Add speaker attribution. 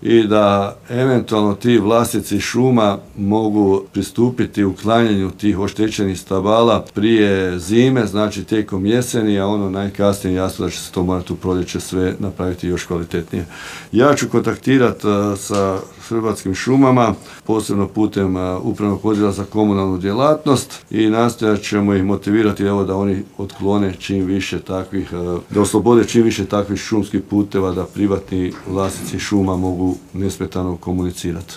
Speaker 1: i da eventualno ti vlasnici šuma mogu pristupiti uklanjanju tih oštećenih stabala prije zime, znači tijekom jeseni, a ono najkasnije jasno da će se to morati u proljeće sve napraviti još kvalitetnije. Ja ću kontaktirati sa Hrvatskim šumama, posebno putem Upravnog odjela za komunalnu djelatnost i nastojat ćemo ih motivirati da oni otklone čim više takvih, da oslobode čim više takvih šumskih puteva da privatni vlasnici šuma mogu nesmetano komunicirati.